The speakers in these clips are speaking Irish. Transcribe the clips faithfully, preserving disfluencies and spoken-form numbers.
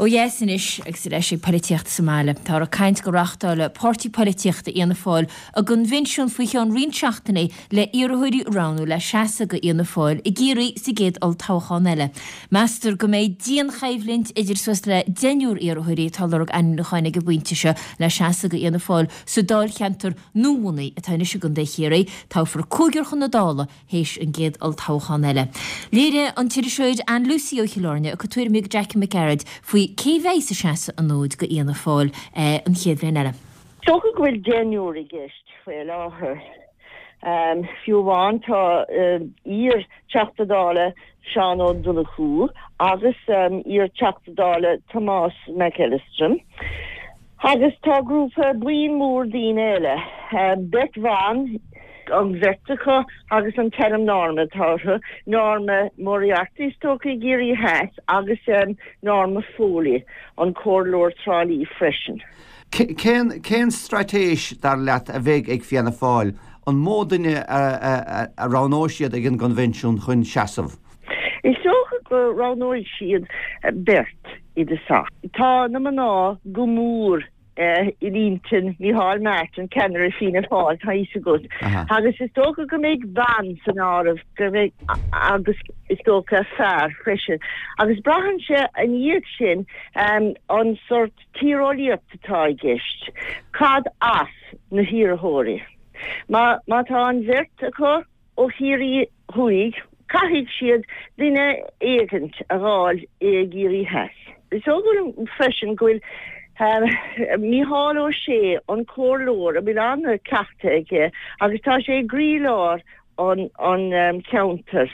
Ó dheas anois agus ar ais ag polaitíocht sa mbaile. Táthar ag caint go reáchtálfaidh páirtí polaitíochta Fhianna Fáil a gcoinbhinsiún faoi cheann roinnt seachtainí le iarrthóirí a roghnú le seasamh do Fhianna Fáil i gCiarraí sa gcéad olltoghchán eile. Meastar go mbeidh dianchoimhlint idir suas le deichniúr iarrthóirí atá ag lorg ainmniúcháin ag an bpointe seo le seasamh do Fhianna Fáil sa dáilcheantar nuabhunaithe atá anois i gContae Chiarraí. Toghfar cúigear chun na Dála théis an gcéad olltoghchán eile. Léirigh an t-iriseoir Ann Lucey ó Chill Airne a cuid tuairimí do Jackie Mac Gearailt faoi cé bheidh ag seasamh an fhóid do Fhianna Fáil an chéad bhliain eile. Is dócha go bhfuil deichniúr i gceist faoi láthair. Fiú amháin tá iar-Teachta Dála Seán Ó Donnchú agus iar-Teachta Dála Tomás Mac Ellistrim. Agus tá grúpa buíon mór daoine eile, beirt bhan, an bheirt acu agus an t-ainm Norma atá orthu, Norma Moriarty is dócha i gCiarraí Theas agus Norma Foley, an comhairleoir Trá Lí freisin. Cén cén straitéis dar leat a bheidh ag Fianna Fáil? An mó duine a a roghnóidh siad ag an gconvensiún chun seasamh? Is dócha go roghnóidh siad beirt i dtosach. Tá na mná go mór in intinn Micheál Martin, ceannaire Fianna Fáil, tá fhios agat. Agus is dócha go mbeidh bean san áireamh, go mbeidh agus is dócha fear freisin. Agus braitheann sé ina dhiaidh sin an sort tíreolaíocht atá i gceist. Cad as na hiarrthóirí? Má má tá an bheirt acu ó Chiarraí Thuaidh, caithfidh siad duine éigint a dh'fháil i gCiarraí Theas. Is dóigh liom freisin go bhfuil Mícheál Ó Sé, an comhairleoir, a bhfuil an-cleachtadh aige agus tá sé i gcroílár an an cheantair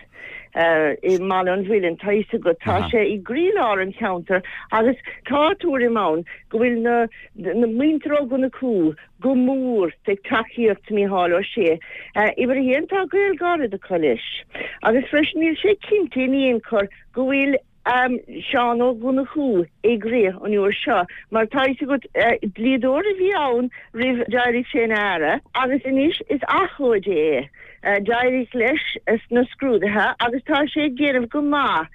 i mBaile an Mhuilinn, tá fhios agat, tá sé i gcroílár an cheantair agus tá tuairim ann go bhfuil na na muintir Ó Donnchú go mór ag tacaíocht Mícheál Ó Sé. Uimhir a haon, tá gaol gairid acu leis agus freisin níl sé cinnte in aon chor go bhfuil Seán Ó Donnchú ag rith an uair seo mar tá fhios agat dlíodóir a bhí ann roimh d'éirigh sé ina aire agus anois is abhcóide é. D'éirigh leis sna scrúduithe agus tá sé ag déanamh go maith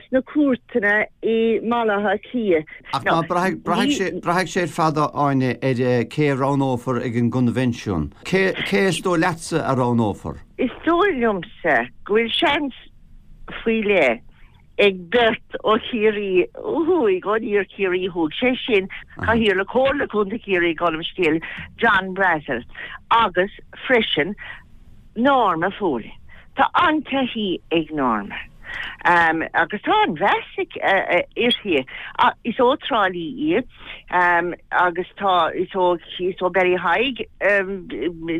sna cúirteanna i mBaile Átha Cliath. Ach ná braithfidh braithfidh sé ar fad, Áine, ar cé a roghnófar ag an gconvensiún. Cé cé is dóigh leatsa a roghnófar? Is dóigh liomsa go bhfuil seans faoi leith ag beirt ó Chiarraí Thuaidh, ó Iar-Chiarraí Thuaidh, sé sin Cathaoirleach Comhairle Contae Chiarraí gabh mo leithscéal, John Brassil agus freisin Norma Foley. Tá an-taithí ag Norma agus tá an-mheas uirthi. Is ó Trá Lí í agus tá is ó is ó Ballyheigue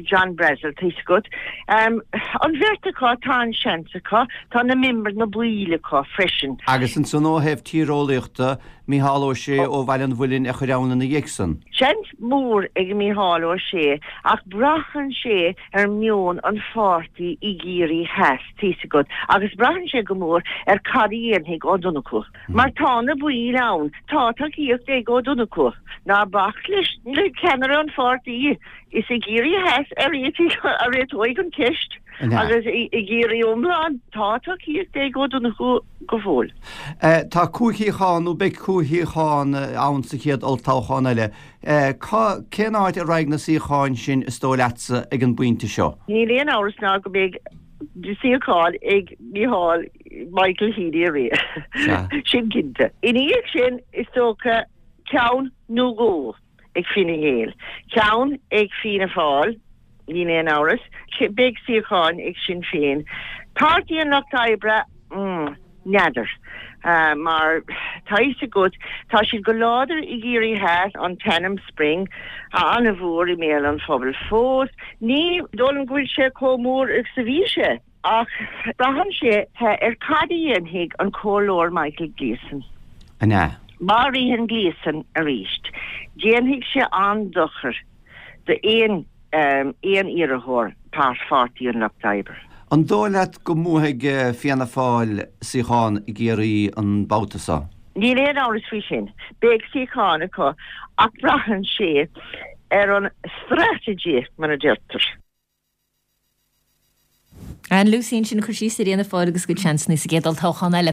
John Brassil tá fhios agat. An bheirt acu tá an seans acu, tá na mimir na baill acu freisin. Agus ansan ó thaobh tíreolaíochta, Mícheál Ó Sé ó Bhaile an Mhuilinn a chuir ann ina dhiaidh san. Seans mór ag Mícheál Ó Sé ach braitheann sé ar meon an pháirtí i gCiarraí Theas, tá fhios agat, agus braitheann sé go mór ar cad a dhéanfaidh Ó Donnchú. Mar tá na baill ann, tá tacaíocht ag Ó Donnchú. Ná bac leis le ceannaire an pháirtí, is i gCiarraí Theas a réiteoidh an cheist agus i gCiarraí iomlán tá tacaíocht ag Ó Donnchú go fóill. Tá cúig shuíochán nó beidh cúig shuíochán ann sa chéad olltoghchán eile. Cén áit a raghaidh na suíocháin sin is dóigh leatsa ag an bpointe seo? Níl aon amhras ná go mbeidh suíochán ag Micheál Michael Healy-Rae. Sin cinnte. Ina dhiaidh sin is dócha ceann nó dhó ag Fine Gael, ceann ag Fianna Fáil, níl aon amhras, beidh suíocháin ag Sinn Féin. Páirtí an Lucht Oibre, mm, n'fheadar. Mar tá fhios agat, tá siad go láidir i gCiarraí Theas, an t-ainm Spring, an-mhór i mbéal an phobail fós. Ní dóigh liom go bhfuil sé chomh mór is a bhí sé, ach braitheann sé ar cad a dhéanfaidh an Comhairleoir Michael Gleeson. An ea? Má ritheann Gleeson arís, déanfaidh sé an-dochar d'aon aon iarrthóir Pháirtí an Lucht Oibre. An dóigh leat go mbuafaidh Fianna Fáil suíochán i gCiarraí an babhta seo? Níl aon amhras faoi sin. Beidh suíochán acu ach braitheann sé ar an strategy, mar a deirtear. Ann Lucey ansin ag cur síos ar Fhianna Fáil agus a gcuid seansanna sa gcéad olltoghchán eile.